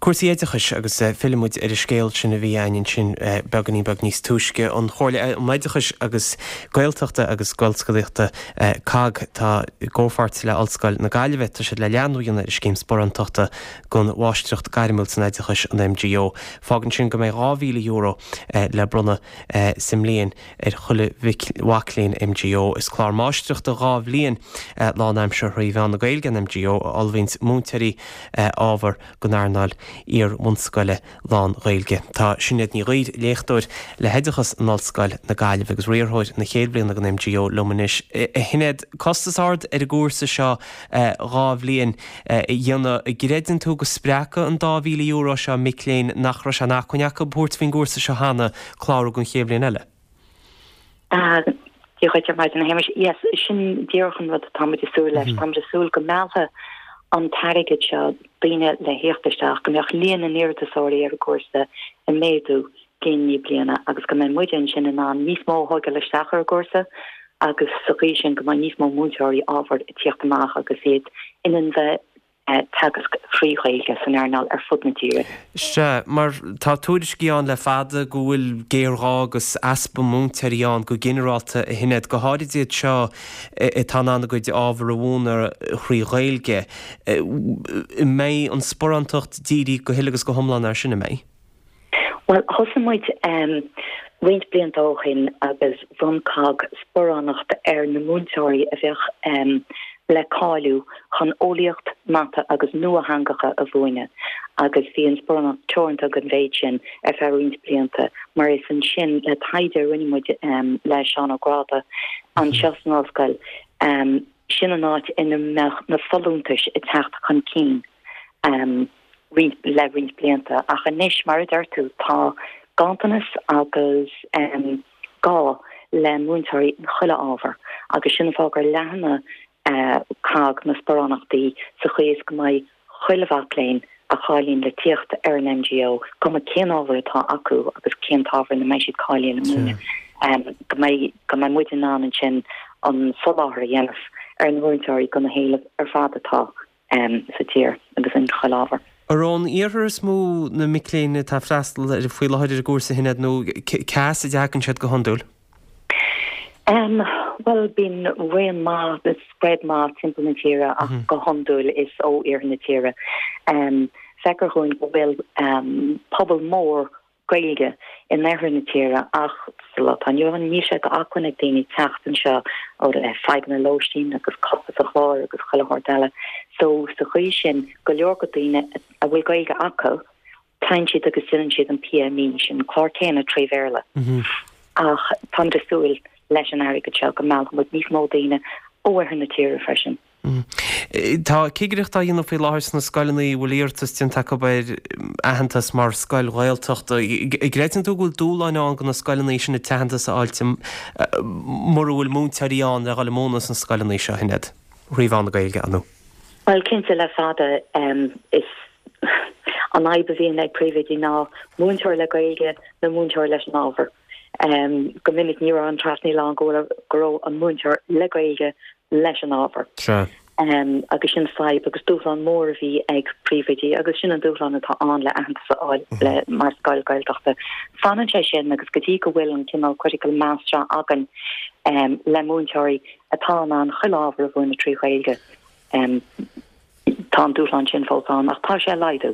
Cúrsaí oideachais agus fillfidh muid ar an scéal sin a bhí againn ansin beagáinín beag níos túisce. An Chomhairle um Oideachais agus Gaeltachta agus Gaelscolaíochta, COGG, tá i gcomhpháirt le Ollscoil na Gaillimhe, tá siad le leathnú a dhéanamh ar an scéim sparántachta don Mháistreacht Gairmiúil san Oideachais, an MGO. Fágann sin go mbeidh €2,000 le bronnadh sa mbliain ar chuile mhac léinn MGO. Is clár máistreachta 2 bhliain lánaimseartha thrí mheán na Gaeilge an MGO a ullmhaíonns múinteoirí ábhar don earnáil iar-bhunscoile lán-Ghaeilge. Tá Sinéad Ní Ghuidhir, léachtóir le hOideachas in Ollscoil na Gaillimhe agus riarthóir na chéad bhliana den MGO liom anois. A Shinéad, costas ard ar an gcúrsa seo 2 bhliain a dhéanamh. An gcreideann tú go spreagfaidh an €2,000 seo mic léinn nach raibh sé in acmhainn acu tabhairt faoin gcúrsa seo cheana clárú don chéad bhliain eile? Dia dhuit ar maidin, a Shéamais. Yes, sin díreach an rud atá muid ag súil leis. Tá muid ag súil go meallfaidh an t-airgead seo daoine le thíocht isteach, go mbeadh líon na n-iarratasóirí ar an gcúrsa ag méadú bliain i ndiaidh bliana agus go mbeidh muide ansin in ann níos mó a thógáil isteach ar an gcúrsa agus sa chaoi sin go mbeidh níos mó múinteoirí ábhair ag tíocht amach agus iad in ann bheith teagasc thrí Ghaeilge san earnáil ar fud na tíre. Sea, mar tá tuairiscí ann le fada go bhfuil géarghá agus easpa múinteoirí ann go ginearálta, a Shinéad, go háirid iad seo atá in ann a gcuid ábhar a mhúineadh thrí Ghaeilge. An mbeidh an sparántacht dírithe go huile agus go hiomlán air sin, an mbeidh? Bhuel, thosaigh muid roinnt blianta ó shin agus bhronn cogg sparánacht ar na múinteoirí a bheadh le cáiliú chun eolaíocht, mata agus nuatheangacha a mhúineadh agus bhí an sparánacht teoranta don mhéid sin ar feadh roinnt blianta mar is ansin le taighde a rinne muid le Seán Ó Gráda anseo san ollscoil, sin an áit ina mbeadh na folúntais ag teacht chun cinn. roinnt le roinnt blianta ach anois, mar a deir tú, tá ganntanas agus gá le múinteoirí in chuile ábhar agus sin an fáth gur leathnaigh cogg na sparánachtaí sa chaoi is go mbeidh chuile mhac léinn a cháilíonn le tíocht ar an MGO, cuma cén ábhar atá acu agus cén t-ábhar ina mbeidh siad cáilithe le múineadh, go mbeidh go mbeidh muid in ann ansin an soláthar a dhéanamh ar na múinteoirí do na héilimh ar fad atá sa tír agus in chuile ábhar. Ar ón iarthar is mó na mic léinn atá ag freastal ar faoi láthair ar an gcúrsa, a Shinéad, nó cá as a dtagann siad go hiondúil? Bhuel, bíonn raon maith, spread maith timpeall na tíre ach go hiondúil is ó iarthar na tíre. Feictear dhúinn go bhfuil pobal mór Gaeilge in oirthear na tíre ach sa lá atá inniu ann níl sé d'acmhainn ag daoine teacht anseo ó le fadhbanna lóistín agus costas an chláir agus chuile shórt eile. So sa chaoi sin go leor go daoine a bhfuil Gaeilge acu téann siad agus déanann siad an PME sin, an clár céanna tré Bhéarla. Ach táimid ag súil leis an airgead seo go meallfaidh muid níos mó daoine ó oirthear na tíre freisin. Tá cigireacht á dhéanamh faoi láthair sna scoileanna a bhfuil iarratas déanta acu ar aitheantas mar scoil Ghaeltachta. An gcreideann tú go bhfuil dúshláin ann do na scoileanna sin an t-aitheantas a fháilt mura bhfuil múinteoirí ann le dhul ag múineadh sna scoileanna seo, a Shinéad, thrí mheán na Gaeilge, ar ndóigh? Bhuel, cinnte, le fada is an fhadhb a bhíonn ag príomhoidí ná múinteoir le Gaeilge nó múinteoir leis an ábhar. Go minic ní raibh an trasnaíl ann go raibh an múinteoir le Gaeilge leis an ábhar. Sea. Agus sin fadhb agus dúshlán mór a bhí ag príomhoidí agus sin an dúshlán atá ann le aitheantas a fháil le mar scoil Gaeltachta. Fanann sé sin agus go dtí go bhfuil an cineál critical mass seo againn le múinteoirí atá in ann chuile ábhar a mhúineadh trí Ghaeilge, tá an dúshlán sin fós ann ach tá sé ag laghdú.